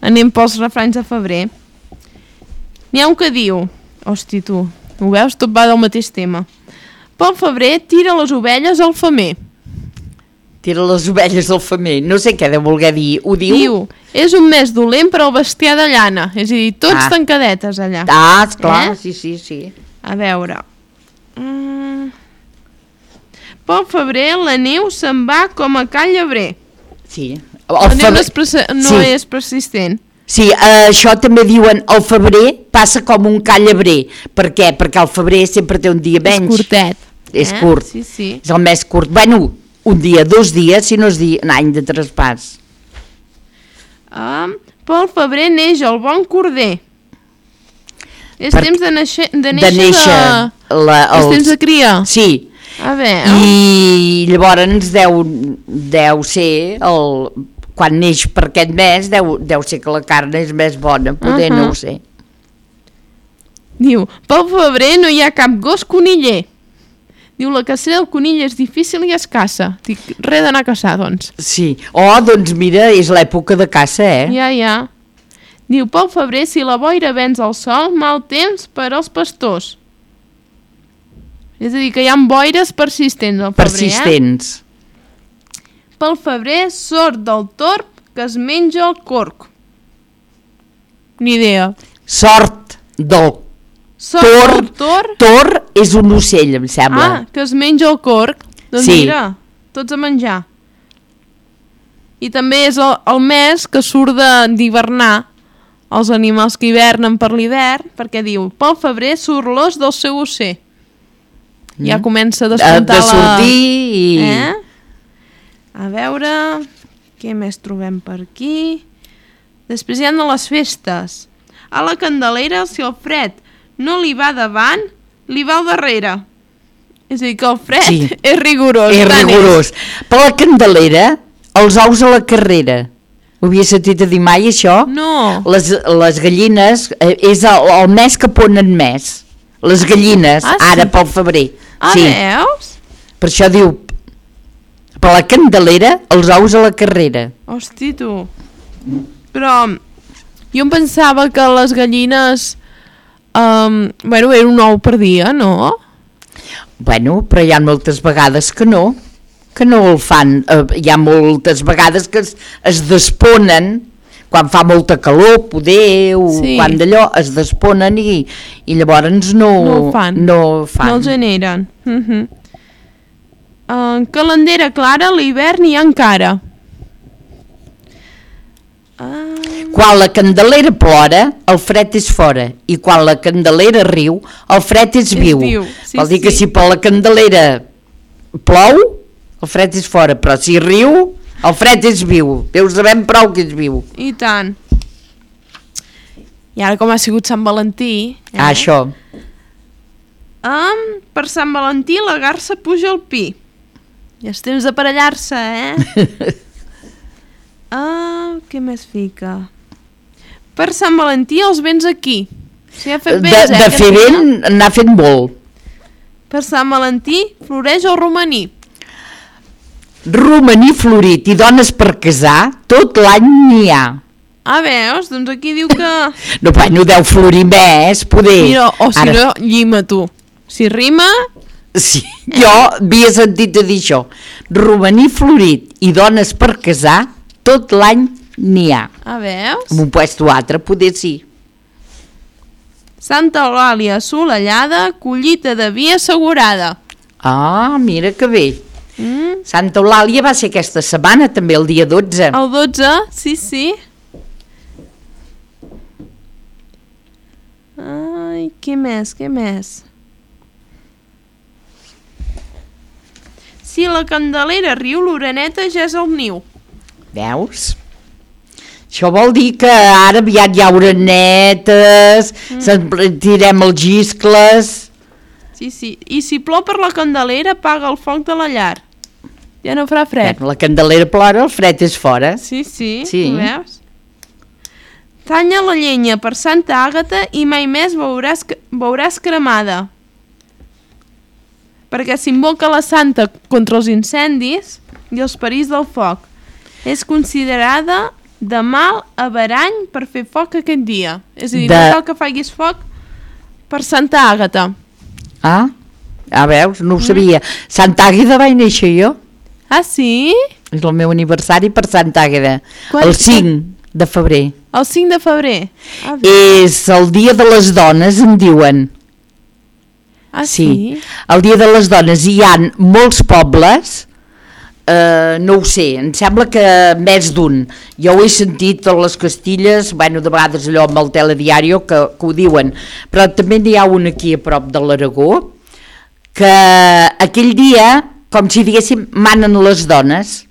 anem pels refranys de febrer. N'hi ha un que diu, hosti tu, ho veus? Tot va del mateix tema. Pel febrer tira les ovelles al femer. Tira les ovelles del femer. No sé què de voler dir. Ho diu? Diu, és un mes dolent per al bestiar de llana. És a dir, tots tancadetes allà. Esclar, sí. A veure... Pel febrer la neu se'n va com a cal llebrer. Sí. La neu no és persistent. Sí, això també diuen el febrer passa com un cal llebrer. Per què? Perquè el febrer sempre té un dia menys. És curtet. És curt. Sí. És el més curt. Bueno, un dia, 2 dies, si no és un any de traspàs. Pel febrer neix el bon corder. És temps de néixer és temps de cria. Sí. A veure. I llavors deu ser quan neix per aquest mes deu ser que la carn és més bona, poder no ho sé. Diu, pel febrer no hi ha cap gos coniller. Diu, la cacera del conill és difícil i escassa. Dic, res d'anar a caçar, doncs. Sí. Doncs mira, és l'època de caça, Ja. Diu, pel febrer, si la boira venç el sol, mal temps per als pastors. És a dir, que hi ha boires persistents al febrer, Persistents. Pel febrer, sort del torb que es menja el corc. Ni idea. Sort del Tor és un ocell, em sembla. Que es menja el corc. Doncs mira, tots a menjar. I també és el mes que surt d'hivernar els animals que hivernen per l'hivern, perquè diu, pel febrer surt l'os del seu ocell. Ja comença a descomptar de sortir i... A veure, què més trobem per aquí? Després hi ha de les festes. A la Candelera, si el fred no li va davant, li va al darrere. És a dir, que el fred és rigorós. És rigorós. Per la Candelera, els ous a la carrera. Ho havia sentit a dir mai, això? No. Les gallines, és el mes que ponen més. Les gallines, ara pel febrer. Veus? Per això diu, per la Candelera, els ous a la carrera. Hosti, tu. Però jo em pensava que les gallines, era un ou per dia, no? Bueno, però hi ha moltes vegades que no el fan. Hi ha moltes vegades que es desponen, quan fa molta calor, poder, quan d'allò es desponen i llavors no fan. No el generen. Calendera clara, l'hivern hi ha encara. Quan la Candelera plora, el fred és fora, i quan la Candelera riu, el fred és viu. Vol dir que si per la Candelera plou, el fred és fora, però si riu, el fred és viu. Deus sabem prou que és viu. I tant. I ara com ha sigut Sant Valentí... Això. Per Sant Valentí la garsa puja al pi. Ja és temps d'aparellar-se, què més fica? Per Sant Valentí els vents aquí. Si ha fet vents, de fer vent n'ha fet molt. Per Sant Valentí floreix el romaní. Romaní florit i dones per casar, tot l'any n'hi ha. Veus? Doncs aquí diu que... No deu florir més, poder. Mira, si no, llima tu. Si rima... Sí, jo havia sentit a dir això. Romaní florit i dones per casar, tot l'any n'hi ha. Veus? En un puesto altre, poder sí. Santa Eulàlia assolellada, collita de vi assegurada. Mira que bé. Santa Eulàlia va ser aquesta setmana, també, el dia 12. El 12, sí. Què més? Si la Candelera riu, l'oreneta ja és al niu. Veus? Això vol dir que ara aviat hi ha orenetes, tirem els giscles... Sí. I si plou per la Candelera, apaga el foc de la llar. Ja no farà fred. La Candelera plora, el fred és fora. Sí. Veus? Talla la llenya per Santa Àgata i mai més veuràs cremada. Perquè s'invoca la santa contra els incendis i els perills del foc. És considerada de mal averany per fer foc aquest dia. És a dir, no cal que facis foc per Santa Àgata. Veus? No ho sabia. Santa Àgueda vaig néixer jo. Sí? És el meu aniversari per Santa Àgueda. Quan? El 5 de febrer. El 5 de febrer? És el dia de les dones, em diuen. Ah, sí? El dia de les dones. Hi ha molts pobles, no ho sé, em sembla que més d'un. Jo ho he sentit a les Castilles, bueno, de vegades allò amb el telediario que ho diuen, però també n'hi ha un aquí a prop de l'Aragó, que aquell dia, com si diguéssim, manen les dones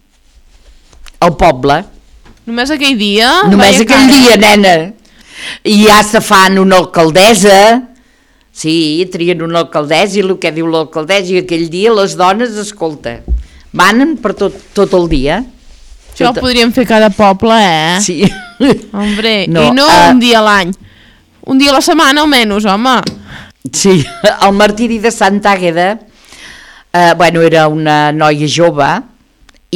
al poble. Només aquell dia? Només aquell dia, nena. I ja se fan una alcaldessa, sí, trien una alcaldessa i el que diu l'alcaldessa, i aquell dia les dones, escolta, manen per tot el dia. Això ho podríem fer cada poble, Sí. Hombre, no, i no un dia a l'any. Un dia a la setmana almenys, home. Sí, el martiri de Santa Àgueda, bueno, era una noia jove,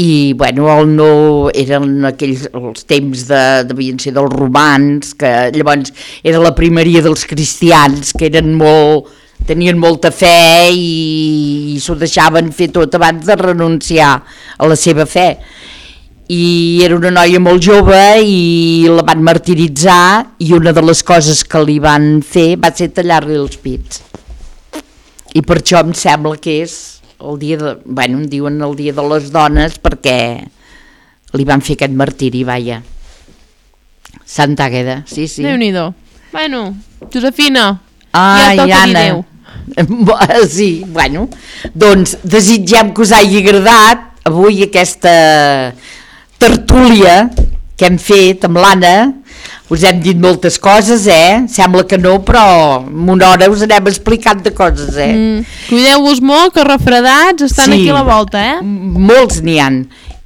i bueno, eren aquells els temps devien ser dels romans, que llavors era la primeria dels cristians, que tenien molta fe i s'ho deixaven fer tot abans de renunciar a la seva fe. I era una noia molt jove i la van martiritzar, i una de les coses que li van fer va ser tallar-li els pits. I per això em sembla que és el dia em diuen el dia de les dones, perquè li van fer aquest martiri, vaja. Santa Àgueda, sí. Déu-n'hi-do. Bueno, Josefina, ja toca dir Anna. adéu. Sí, bueno, doncs desitgem que us hagi agradat avui aquesta tertúlia que hem fet amb l'Anna. Us hem dit moltes coses, Sembla que no, però en una hora us anem explicant de coses, Cuideu-vos molt, que refredats estan aquí a la volta, Molts n'hi han.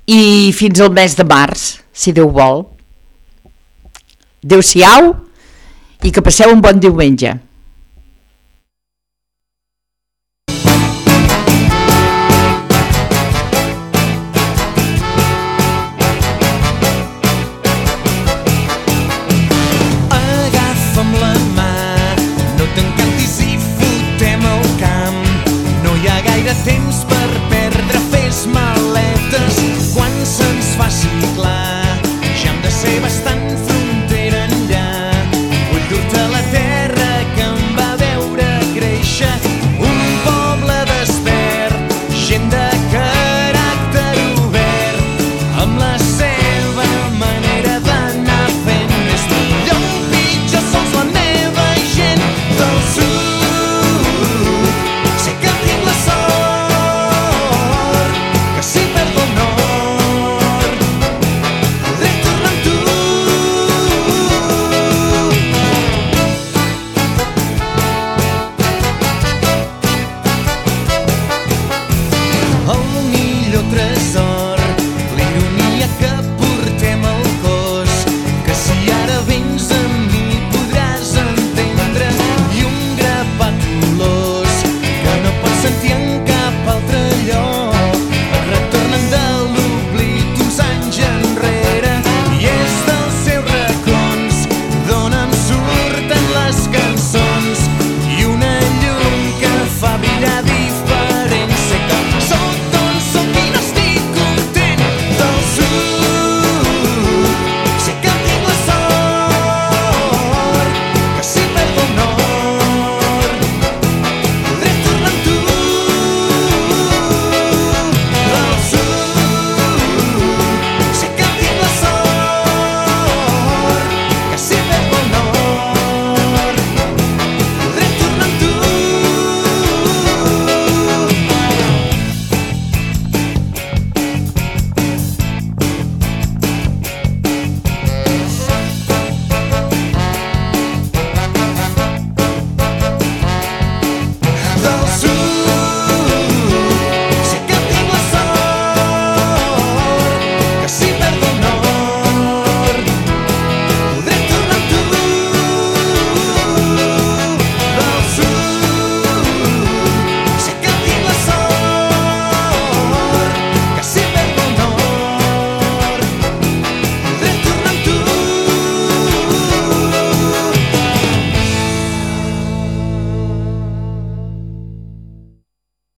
I fins al mes de març, si Déu vol. Adéu-siau i que passeu un bon diumenge.